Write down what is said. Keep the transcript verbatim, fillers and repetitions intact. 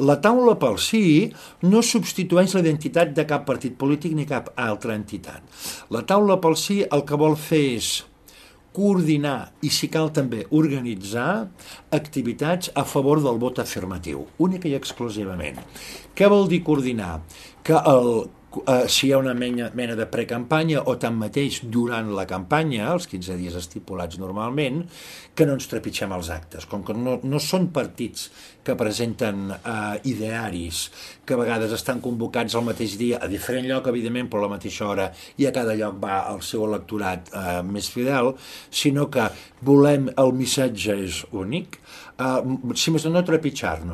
La taula pel sí no substitueix la identitat de cap partit polític ni cap altra entitat. La taula pel sí el que vol fer és coordinar i, si cal, també organitzar activitats a favor del vot afirmatiu, única i exclusivament. Què vol dir coordinar? Que el, eh, si hi ha una mena, mena de precampanya o tanmateix durant la campanya, els quinze dies estipulats normalment, que no ens trepitgem els actes. Com que no, no són partits que presenten eh, idearis, que a vegades estan convocats al mateix dia, a diferent lloc, evidentment, però a la mateixa hora, i a cada lloc va el seu electorat eh, més fidel, sinó que volem, el missatge és únic, eh, si més no, no trepitjar-nos.